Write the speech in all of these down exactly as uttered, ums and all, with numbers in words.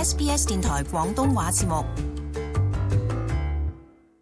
S B S 電台廣東話節目。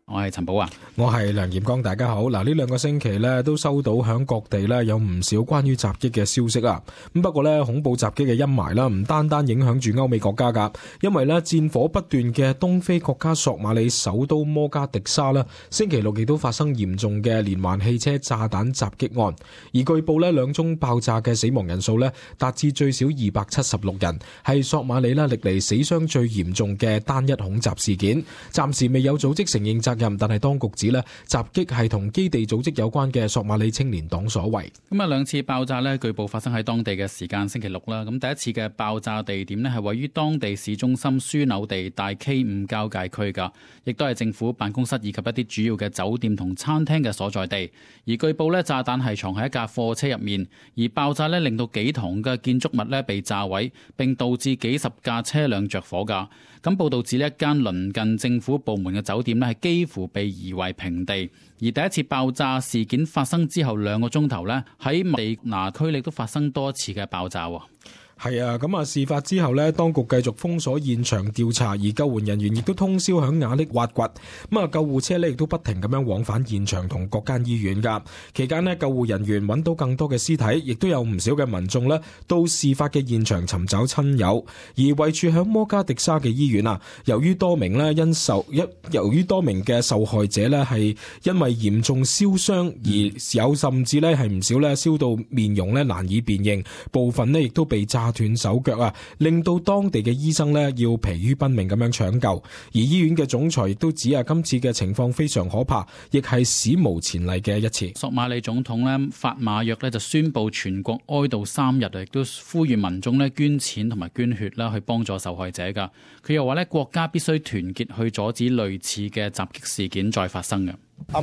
我係陳寶啊，我係梁炎光，大家好。嗱，呢兩個星期咧都收到響各地咧有唔少關於襲擊嘅消息啊。咁不過咧，恐怖襲擊嘅陰霾啦，唔單單影響住歐美國家噶，因為咧戰火不斷嘅東非國家索馬里首都摩加迪沙啦，星期六亦都發生嚴重嘅連環汽車炸彈襲擊案，而據報咧兩宗爆炸嘅死亡人數咧達至最少二百七十六人，係索馬里啦歷嚟死傷最嚴重嘅單一恐襲事件。暫時未有組織承認責任。但係當局指咧，襲擊係同基地組織有關嘅索馬里青年黨所為。咁啊，兩次爆炸咧，據報發生喺當地嘅時間星期六啦。咁第一次嘅爆炸地點咧係位於當地市中心樞紐地帶 K 五交界區噶，亦都係政府辦公室以及一啲主要嘅酒店同餐廳嘅所在地。而據報咧，炸彈係藏喺一架貨車入面，而爆炸咧令到幾幢嘅建築物咧被炸毀，並導致幾十架車輛着火噶。咁報道指呢一間鄰近政府部門嘅酒店咧係幾乎被夷為平地，而第一次爆炸事件發生之後兩個鐘頭咧，喺地拿區域都發生多次嘅爆炸。係啊，咁啊，事發之後呢，當局繼續封鎖現場調查，而救援人員亦都通宵響瓦礫挖掘。咁啊，救護車呢亦都不停咁樣往返現場同各間醫院噶。期間呢，救護人員揾到更多嘅屍體，亦都有唔少嘅民眾呢到事發嘅現場尋找親友。而位處響摩加迪沙嘅醫院啊，由於多名呢因受一由於多名嘅受害者呢係因為嚴重燒傷，而有甚至呢係唔少呢燒到面容呢難以辨認，部分呢亦都被炸斷手腳啊，令到當地嘅醫生呢要疲於奔命咁樣搶救。而醫院嘅總裁亦都指啊，今次嘅情況非常可怕，亦係史無前例嘅一次。索馬里總統呢法馬約呢就宣布全國哀悼三日，亦都呼籲民眾呢捐錢同埋捐血啦，去幫助受害者噶。佢又話呢，國家必須團結去阻止類似嘅襲擊事件再發生嘅。法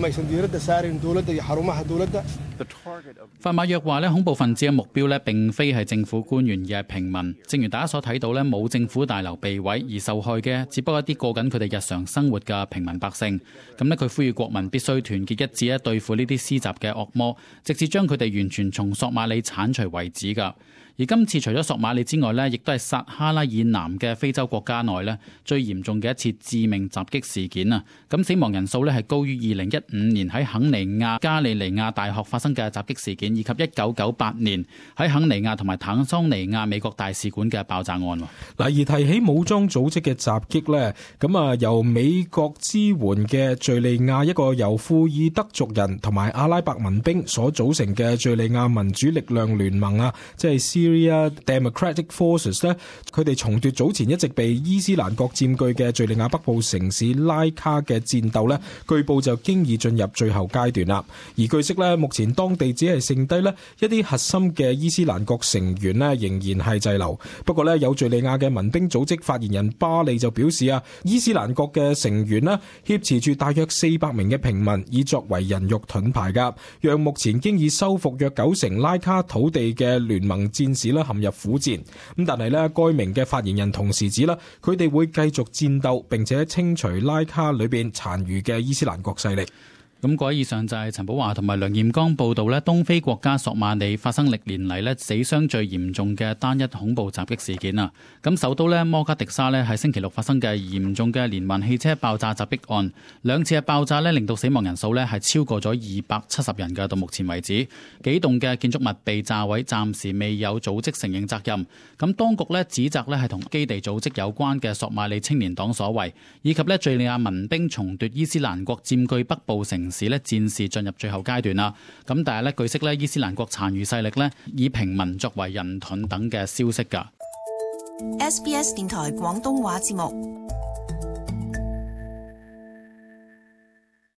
馬約話咧，恐怖分子嘅目標咧並非係政府官員，而係平民。正如大家所睇到咧，冇政府大樓被毀，而受害嘅只不過一啲過緊佢哋日常生活嘅平民百姓。咁咧，佢呼籲國民必須團結一致咧，對付呢啲施襲嘅惡魔，直至將佢哋完全從索馬里剷除為止㗎。而今次除咗索馬里之外呢，亦都係撒哈拉以南嘅非洲國家內呢最嚴重嘅一次致命襲擊事件啊！咁死亡人數呢係高於二零一五年喺肯尼亞加利尼亞大學發生嘅襲擊事件，以及一九九八年喺肯尼亞同埋坦桑尼亞美國大使館嘅爆炸案。嗱，而提起武裝組織嘅襲擊呢，咁啊由美國支援嘅敘利亞一個由庫爾德族人同埋阿拉伯民兵所組成嘅敘利亞民主力量聯盟啊，即係 Syria Democratic Forces 咧，佢哋重奪早前一直被伊斯蘭國佔據嘅敘利亞北部城市拉卡嘅戰鬥咧，據報就經已進入最後階段啦。而據悉咧，目前當地只係剩低咧一啲核心嘅伊斯蘭國成員咧，仍然係滯留。不過咧，有敘利亞嘅民兵組織發言人巴利就表示啊，伊斯蘭國嘅成員咧挾持住大約四百名嘅平民，以作為人肉盾牌噶，讓目前經已收復約九成拉卡土地嘅聯盟戰士啦陷入苦戰。咁但係咧，該名嘅發言人同時指啦，佢哋會繼續戰鬥，並且清除拉卡裏邊殘餘嘅伊斯蘭國勢力。咁各位，以上就係陳寶華同埋梁艷剛報道咧，東非國家索馬里發生歷年嚟咧死傷最嚴重嘅單一恐怖襲擊事件啊！咁首都咧摩加迪沙咧喺星期六發生嘅嚴重嘅連環汽車爆炸襲擊案，兩次嘅爆炸咧令到死亡人數咧係超過咗二百七十人嘅，到目前為止，幾棟嘅建築物被炸毀，暫時未有組織承認責任。咁當局咧指責咧係同基地組織有關嘅索馬里青年黨所為，以及咧敘利亞民兵重奪伊斯蘭國佔據北部城市咧戰事進入最後階段啦，咁但係咧據悉咧伊斯蘭國殘餘勢力咧以平民作為人盾等嘅消息㗎。S B S 電台廣東話節目。